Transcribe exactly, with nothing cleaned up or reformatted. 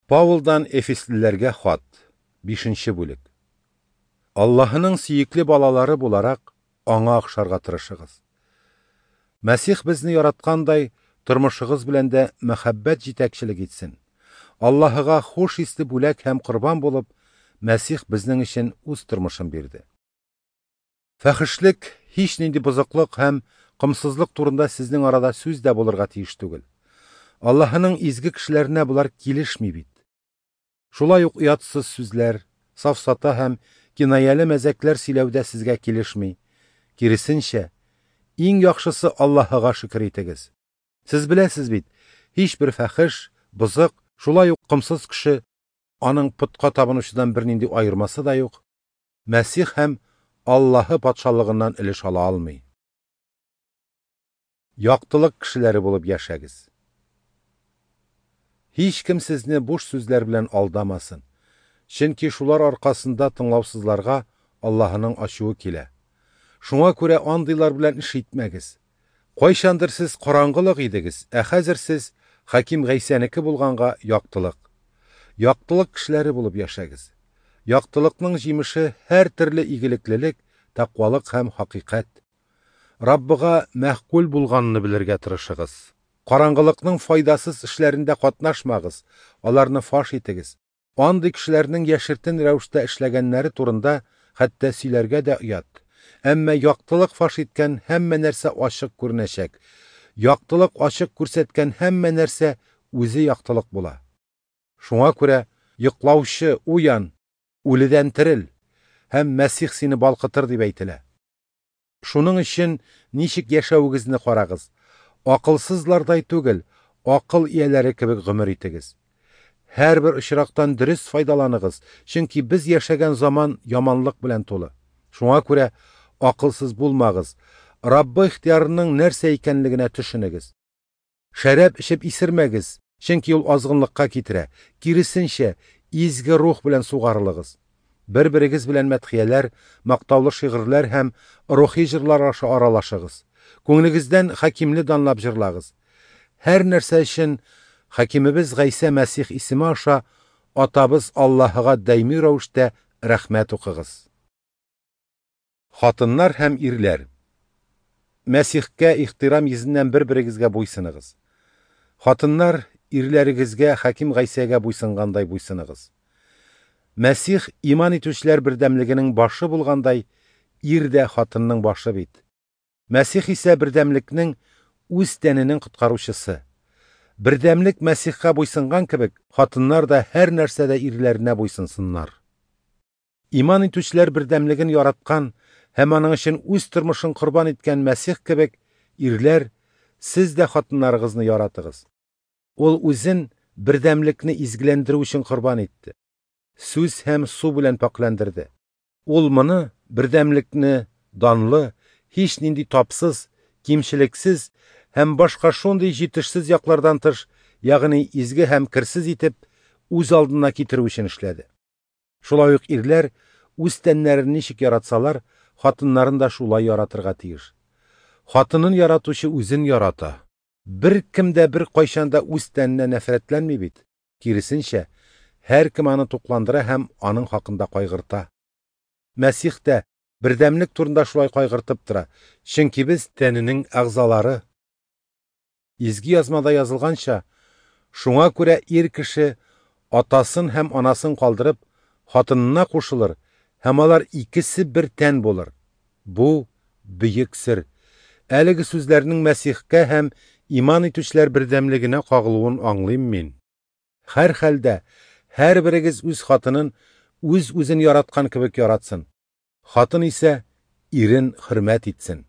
Паулдан Эфеслеләргә хат, бишенче бүлек. Аллаһының сөекле балалары буларак, аңа охшарга тырышыгыз. Мәсих безне яраткандай, тормышыгыз белән дә мәхәббәт җитәкчелек итсен. Аллаһыга хуш исле бүләк һәм корбан булып, Мәсих безнең өчен үз тормышын бирде. Фәхешлек, һич нинди бозыклык һәм комсызлык турында сезнең арада сүз дә булырга тиеш түгел. Аллаһының изге кешеләренә болар килешми бит. Шулай ук оятсыз сүзләр, сафсата һәм кинаяле мәзәкләр сөйләү дә сезгә килешми. Киресенчә, иң яхшысы Аллаһыга шөкер итегез. Сез беләсез бит, һичбер фәхеш, бозык, шулай ук комсыз кеше, аның путка табынучыдан бернинди аермасы да юк, Мәсих һәм Аллаһы патшалыгыннан өлеш ала алмый. Яктылык кешеләре булып яшәгез. Һич кем сезне буш сүзләр белән алдамасын. Чөнки шулар аркасында тыңлаусызларга Аллаһының ачуы килә. Шуңа күрә андыйлар белән эш итмәгез. Кайчандыр сез караңгылык идегез, ә хәзер сез Хаким Гайсәнеке булганга яктылык. Яктылык кешеләре булып яшәгез. Яктылыкның җимеше һәр төрле игелеклелек, тәкъвалык һәм хакыйкать. Раббыга мәгъкул булганны белергә тырышыгыз. Караңгылыкның файдасыз эшләрендә катнашмагыз, аларны фаш итегез. Андый кешеләрнең яшертен рәвештә эшләгәннәре турында хәтта сөйләргә дә оят. Әмма яктылык фаш иткән һәммә нәрсә ачык күренәчәк. Яктылык ачык күрсәткән һәммә нәрсә үзе яктылык була. Шуңа күрә йоклаучы уян, үледән терел һәм Мәсих сине балкытыр дип әйтелә. Шуның өчен ничек яшәвегезне карагыз. Акылсызлардай түгел, акыл ияләре кебек гомер итегез. Һәрбер очрактан дөрес файдаланыгыз, чөнки без яшәгән заман яманлык белән тулы. Шуңа күрә акылсыз булмагыз, Раббы ихтыярының нәрсә икәнлегенә төшенегез. Шәраб эчеп исермәгез, чөнки ул азгынлыкка китерә. Киресенчә, изге рух белән сугарылыгыз. Бер-берегез белән мәдхияләр, мактаулы шигырьләр һәм рухи җырлар аша аралашыгыз. Күңелегездән хакимле данлап җырлагыз. Һәр нәрсә өчен Хакимебез Гайсә Мәсих исеме аша Атабыз Аллаһыга даими рәвештә рәхмәт укыгыз. Хатыннар һәм ирләр, Мәсихкә ихтирам йөзеннән бер-берегезгә буйсыныгыз. Хатыннар, ирләрегезгә Хаким Гайсәгә буйсынгандай буйсыныгыз. Мәсих иман итүчеләр бердәмлегенең башы булгандай, ир дә хатынның башы бит. Мәсих исә бердәмлекнең үз тәненең коткаручысы. Бердәмлек Мәсихкә буйсынган кебек, хатыннар да һәр нәрсәдә ирләренә буйсынсыннар. Иман итүчеләр бердәмлеген яраткан һәм аның өчен үз тормышын корбан иткән Мәсих кебек, ирләр, сез дә хатыннарыгызны яратыгыз. Ул үзен бердәмлекне изгеләндерү өчен корбан итте. Сүз һәм су белән пакьләндерде. Ул моны бердәмлекне данлы, һич нинди тапсыз, кимчелексез һәм башка шундый җитешсез яклардан тыш, ягъни изге һәм керсез итеп, үз алдына китерү өчен эшләде. Шулай ук ирләр үз тәннәрен ничек яратсалар, хатыннарын да шулай яратырга тиеш. Хатынын яратучы үзен ярата. Бер кем дә бер кайчан да үз тәненә нәфрәтләнми бит. Киресенчә, һәркем аны тукландыра һәм аның хакында кайгырта. Мәсих тә бердәмлек турында шулай кайгыртып тора, чөнки без тәненең әгъзалары. Изге язмада язылганча, шуңа күрә ир кеше атасын һәм анасын калдырып, хатынына кушылыр, һәм алар икесе бер тән булыр. Бу бөек сер. Әлеге сүзләрнең Мәсихкә һәм иман итүчеләр бердәмлегенә кагылуын аңлыйм мин. Һәр хәлдә һәрберегез үз хатынын үз-үзен яраткан кебек яратсын. Хатын исә ирен хөрмәт итсен.